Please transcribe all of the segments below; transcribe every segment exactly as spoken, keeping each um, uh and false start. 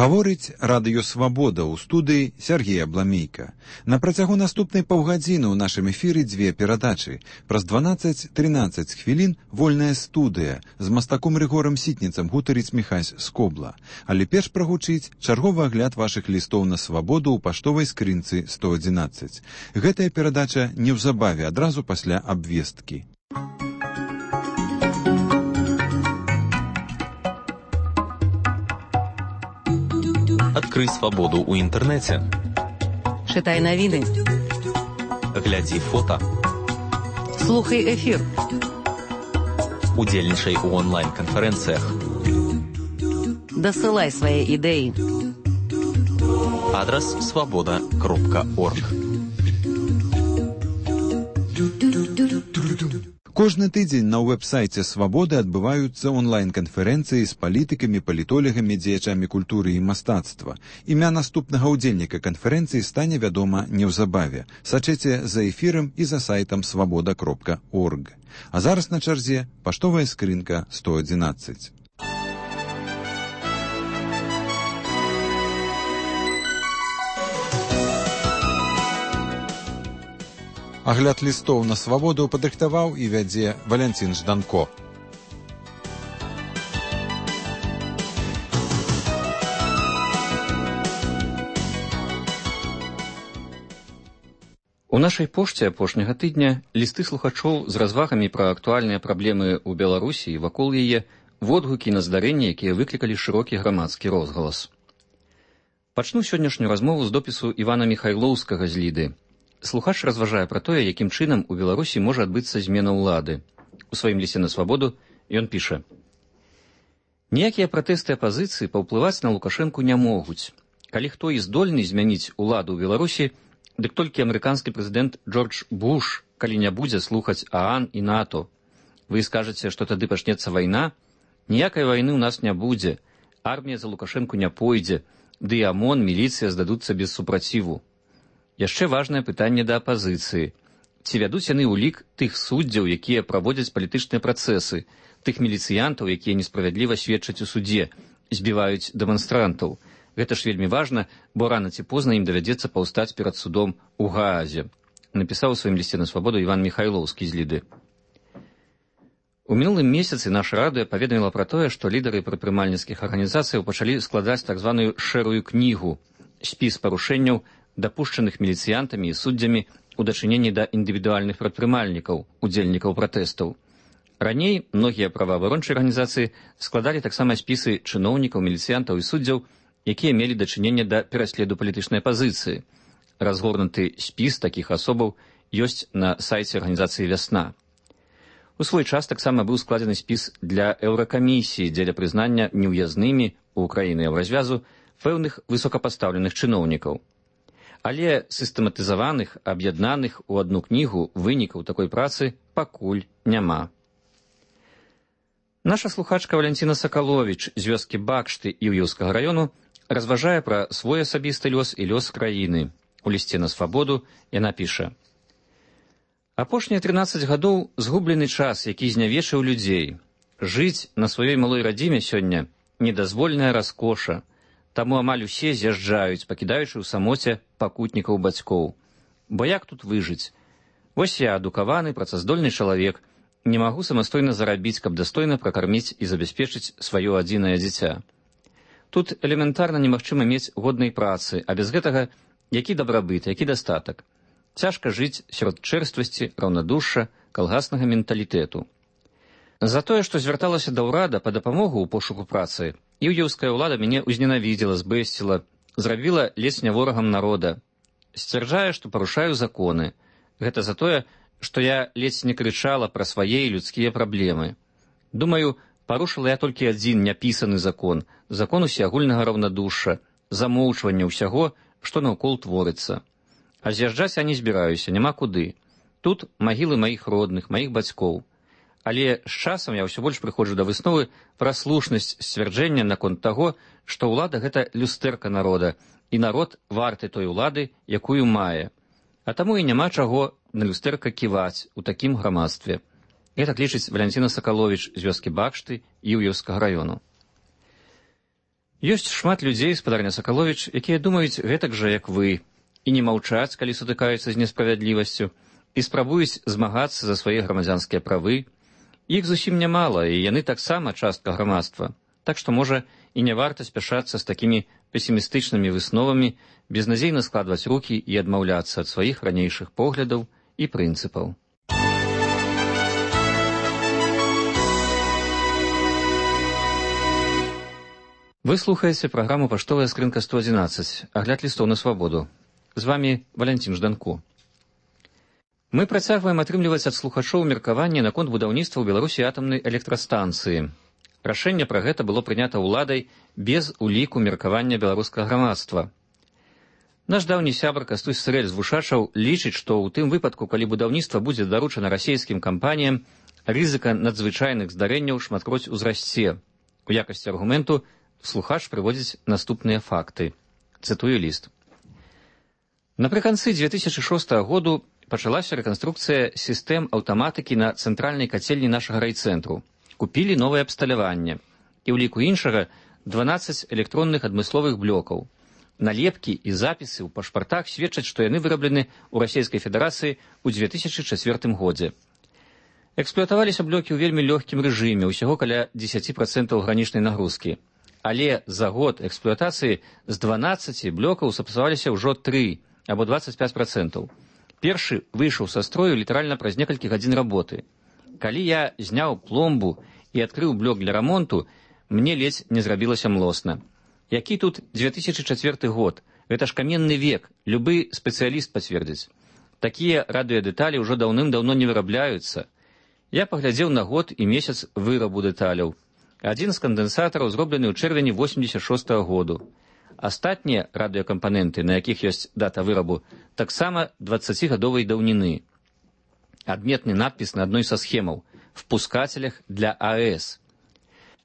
Гаворыць радыё «Свабода» ў студыі Сергея Бламейка. На працягу наступнай паўгадзіны ў нашым эфіры дзве перадачы. Праз дванаццаць-трынаццаць хвілін вольная студыя з мастаком Рыгорам Сітніцам гутарыць Міхась Скобла. Але перш прагучыць чарговы агляд вашых лістоў на свабоду ў паштовай скрынцы сто адзінаццаць. Гэтая перадача неўзабаве адразу пасля абвесткі. Адкрый свабоду ў інтэрнэце. Чытай навіны. Глядзі фота. Слухай эфір. Удзельнічай у онлайн-канферэнцыях. Дасылай свае ідэі. Адрас свабода кропка орг. Кожны тыдзень на вэб-сайце «Свабоды» адбываюцца онлайн-канферэнцыі з палітыкамі, палітолегамі, дзеячамі культуры і мастацтва. Імя наступнага ўдзельніка канферэнцыі стане вядома неўзабаве. Сачыце за эфірам і за сайтам свабода кропка орг. А зараз на чарзе паштовая скрынка сто адзінаццаць. Агляд лістоў на свабоду падрыхтаваў і вядзе Валянцін Жданко. У нашай пошце апошняга тыдня лісты слухачоў з развагамі пра актуальныя праблемы ў Беларусі і вакол яе, водгукі на здарэнні, якія выклікалі шырокі грамадскі розгалас. Пачну сённяшнюю размову з допісу Івана Міхайлоўскага з Ліды. Слухач разважае пра тое, якім чынам у Беларусі можа адбыцца змена ўлады. У сваім лісце на свабоду ён піша: «Ніякія пратэсты апазіцыі паўплываць на Лукашэнку не могуць. Калі хто і здольны змяніць уладу ў Беларусі, дык толькі амерыканскі прэзідэнт Джордж Буш, калі не будзе слухаць ААН і НАТО. Вы скажаце, што тады пачнецца вайна? Ніякай вайны ў нас не будзе. Армія за Лукашэнку не пойдзе, ды і ОМОН, міліцыя здадуцца без супраціву. Яшчэ важнае пытанне да апазіцыі. Ці вядуць яны ў лік тых суддзяў, якія праводзяць палітычныя працэсы, тых міліцыянтаў, якія несправядліва сведчаць у судзе, збіваюць дэманстрантаў. Гэта ж вельмі важна, бо рана ці позна ім давядзецца паўстаць перад судом у Гаазе», напісаў у сваім лісце на свабоду Іван Міхайлоўскі з Ліды. У мінулым месяцы наша радыё паведаміла пра тое, што лідары прадпрымальніцкіх арганізацыяў пачалі складаць так званую шэрую кнігу, спіс парушэнняў, дапушчаных міліцыянтамі і суддзямі у дачыненні да індывідуальных прадпрымальнікаў, удзельнікаў пратэстаў. Раней многія праваабарончыя арганізацыі складалі таксама спісы чыноўнікаў, міліцыянтаў і суддзяў, якія мелі дачыненне да пераследу палітычнай апазіцыі. Разгорнуты спіс такіх асобаў ёсць на сайце арганізацыі «Вясна». У свой час таксама быў складзены спіс для Еўракамісіі дзеля прызнання неўязнымі ў краіны еўразвязу пэўных высокапастаўленых чыноўнікаў. Але сістэматызаваных, аб'яднаных у адну кнігу вынікаў такой працы пакуль няма. Наша слухачка Валянціна Сакаловіч з вёскі Бакшты Іўеўскага раёну разважае пра свой асабісты лёс і лёс краіны. У лісце на свабоду яна піша: «Апошнія трынаццаць гадоў згублены час, які знявечыў людзей. Жыць на сваёй малой радзіме сёння недазвольная раскоша. Таму амаль усе з'язджаюць, пакідаючы ў самоце пакутнікаў бацькоў. Бо як тут выжыць? Вось я, адукаваны, працаздольны чалавек, не магу самастойна зарабіць, каб дастойна пракарміць і забяспечыць сваё адзінае дзіця. Тут элементарна немагчыма мець годнай працы, а без гэтага які дабрабыт, які дастатак. Цяжка жыць сярод чэрствасці, раўнадушша, калгаснага менталітэту. За тое, што звярталася да ўрада па дапамогу ў пошуку працы, іўеўская ўлада мяне ўзненавідзела, збэсціла, зрабіла ледзь не ворагам народа. Сцвярджае, што парушаю законы. Гэта за тое, што я ледзь не крычала пра свае людскія праблемы. Думаю, парушыла я толькі адзін няпісаны закон, закон усеагульнага раўнадушша, замоўчвання ўсяго, што наўкол творыцца. А з'язджаць я не збіраюся, няма куды. Тут магілы маіх родных, маіх бацькоў. Але з часам я ўсё больш прыходжу да высновы пра слушнасць сцвярджэння наконт таго, што ўлада — гэта люстэрка народа, і народ варты той улады, якую мае. А таму і няма чаго на люстэрка ківаць у такім грамадстве. Гэтак лічыць Валянціна Сакаловіч з вёскі Бакшты Іўеўскага раёну. Ёсць шмат людзей, спадарня Сакаловіч, якія думаюць гэтак жа, як вы, і не маўчаць, калі сутыкаюцца з несправядлівасцю, і спрабуюць змагацца за свае грамадзянскія правы. Іх зусім нямала, і яны таксама частка грамадства. Так што, можа, і не варта спяшацца з такімі песімістычнымі высновамі, безнадзейна складваць рукі і адмаўляцца ад сваіх ранейшых поглядаў і прынцыпаў. Вы слухаеце праграму «Паштовая скрынка сто адзінаццаць», агляд лістоў на свабоду. З вамі Валянцін Жданку. Мы працягваем атрымліваць ад слухачоў меркаванне наконт будаўніцтва ў Беларусі атамнай электрастанцыі. Рашэнне пра гэта было прынята ўладай без уліку меркавання беларускага грамадства. Наш даўні сябар Кастусь Сырэль з Вушачаў лічыць, што ў тым выпадку, калі будаўніцтва будзе даручана расійскім кампаніям, рызыка надзвычайных здарэнняў шматкроць узрасце. У якасці аргументу слухач прыводзіць наступныя факты. Цытую ліст. Напрыканцы дзве тысячы шостага году пачалася рэканструкцыя сістэм аўтаматыкі на цэнтральнай кацельні нашага райцэнтру. Купілі новае абсталяванне. І ў ліку іншага дванаццаць электронных адмысловых блокаў. Налепкі і запісы ў пашпартах сведчаць, што яны выраблены ў Расійскай Федэрацыі ў дзве тысячы чацвёртым годзе. Эксплуатаваліся блокі ў вельмі лёгкім рэжыме, усяго каля дзесяць працэнтаў гранічнай нагрузкі. Але за год эксплуатацыі з дванаццаці блокаў сапсаваліся ўжо тры, або дваццаць пяць працэнтаў. Першы выйшаў са строю літаральна праз некалькі гадзін работы. Калі я зняў пломбу і адкрыў блок для рамонту, мне ледзь не зрабілася млосна. Які тут дзве тысячы чацвёрты год? Гэта ж каменны век, любы спецыяліст пацвердзіць. Такія радыёдэталі ўжо даўным-даўно не вырабляюцца. Я паглядзеў на год і месяц вырабу дэталяў. Адзін з кандэнсатараў зроблены ў чэрвені восемьдесят шостага году. Астатнія радыёкампаненты, на якіх ёсць дата вырабу, таксама дваццацігадовай даўніны. Адметны надпіс на адной са схемаў «Впускателях для АЭС».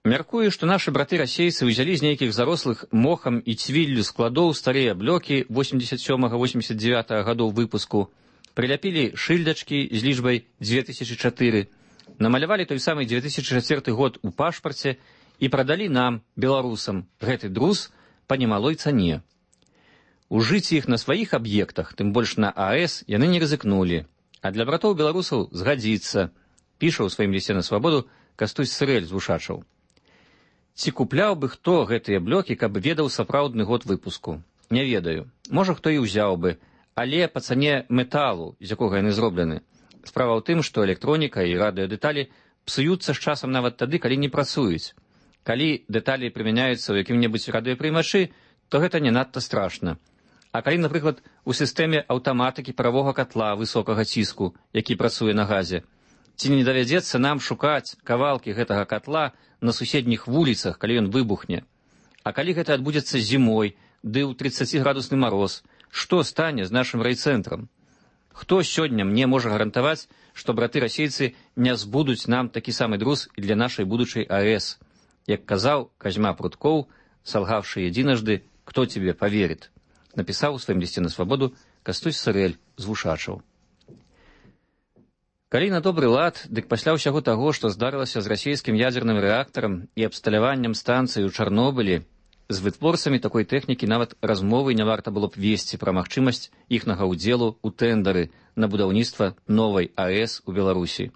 Мяркую, што нашы браты-расейцы ўзялі з нейкіх зарослых мохам і цвіллю складоў старыя блокі восемьдесят сёмага восемьдесят дзевятага гадоў выпуску, прыляпілі шыльдачкі з лічбай дзве тысячы чатыры, намалявалі той самы дзве тысячы чацвёрты год у пашпарце і прадалі нам, беларусам, гэты друз па немалой цане. Ужыць іх на сваіх аб'ектах, тым больш на АЭС, яны не рызыкнулі. А для братоў беларусаў згадзіцца, піша ў сваім лісце на свабоду Кастусь Сырэль з Вушачаў. Ці купляў бы хто гэтыя блокі, каб ведаў сапраўдны год выпуску? Не ведаю. Можа, хто і ўзяў бы, але па цане металу, з якога яны зроблены. Справа ў тым, што электроніка і радыёдэталі псуюцца з часам нават тады, калі не працуюць. Калі дэталі прымяняюцца ў якім-небудзь радыёпрымачы, то гэта не надта страшна. А калі, напрыклад, у сістэме аўтаматыкі паравога катла высокага ціску, які працуе на газе, ці не давядзецца нам шукаць кавалкі гэтага катла на суседніх вуліцах, калі ён выбухне? А калі гэта адбудзецца зімой, ды ў трыццаціградусны мароз, што стане з нашым райцэнтрам? Хто сёння мне можа гарантаваць, што браты-расейцы не збудуць нам такі самы друз і для нашай будучай АЭС? Як казаў Казьма Пруткоў, салгавшы единожды, кто тебе поверит? Напісаў у сваім лісце на свабоду Кастусь Сырэль з Вушачаў. Калі на добры лад, дык пасля ўсяго таго, што здарылася з расійскім ядзерным рэактарам і абсталяваннем станцыі ў Чарнобылі, з вытворцамі такой тэхнікі нават размовы не варта было б весці пра магчымасць іхнага ўдзелу ў тэндары на будаўніцтва новай АЭС у Беларусі.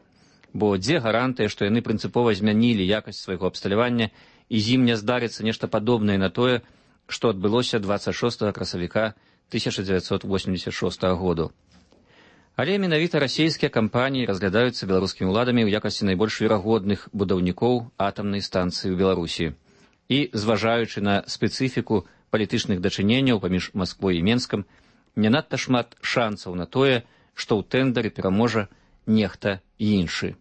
Бо дзе гарантыя, што яны прынцыпова змянілі якасць свайго абсталявання і з ім не здарыцца нешта падобнае на тое, што адбылося дваццаць шостага красавіка тысяча дзевяцьсот восемьдесят шостага году. Але менавіта расійскія кампаніі разглядаюцца беларускімі ўладамі ў якасці найбольш верагодных будаўнікоў атамнай станцыі ў Беларусі. І, зважаючы на спецыфіку палітычных дачыненняў паміж Масквой і Менскам, не надта шмат шансаў на тое, што ў тэндары пераможа нехта іншы.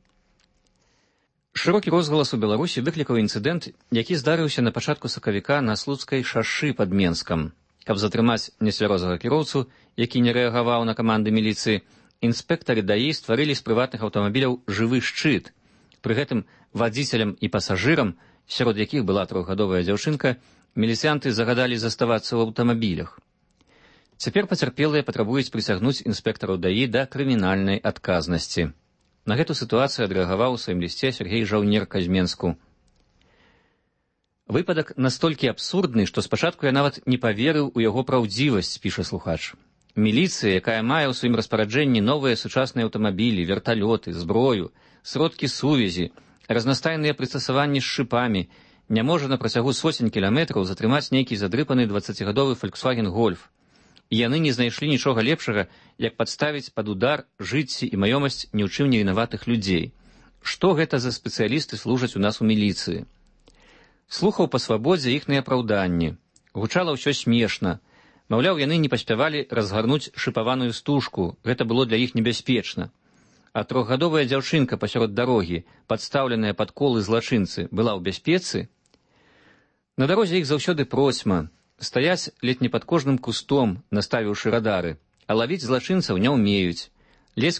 Шырокі розгалас у Беларусі выклікаў інцыдэнт, які здарыўся на пачатку сакавіка на Слуцкай шашы пад Менскам. Каб затрымаць нецвярозага кіроўцу, які не рэагаваў на каманды міліцыі, інспектары даі стварылі з прыватных аўтамабіляў жывы шчыт. Пры гэтым вадзіцелям і пасажырам, сярод якіх была трохгадовая дзяўчынка, міліцыянты загадалі заставацца ў аўтамабілях. Цяпер пацярпелыя патрабуюць прысягнуць інспектараў даі да крымінальнай адказнасці. На гэту сітуацыю адрэагаваў у сваім лісце Сергей Жаўнер Казьменску. Выпадак настолькі абсурдны, што спачатку я нават не паверыў у яго праўдзівасць, піша слухач. Міліцыя, якая мае ў сваім распараджэнні новыя сучасныя аўтамабілі, верталёты, зброю, сродкі сувязі, разнастайныя прыстасаванні з шыпамі, не можа на працягу сотень кіламетраў затрымаць нейкі задрыпаны дваццацігадовы Volkswagen Golf. І яны не знайшлі нічога лепшага, як падставіць пад удар жыцці і маёмасць ні ў чым не вінаватых людзей. Што гэта за спецыялісты служаць у нас у міліцыі? Слухаў па свабодзе іхныя апраўданні. Гучала ўсё смешна. Маўляў, яны не паспявалі разгарнуць шыпаваную стужку, гэта было для іх небяспечна. А трохгадовая дзяўчынка пасярод дарогі, падстаўленая пад колы злачынцы, была ў бяспецы? На дарозе іх заўсёды процьма. Стаяць ледь не пад кожным кустом, наставіўшы радары, а лавіць злачынцаў не ўмеюць.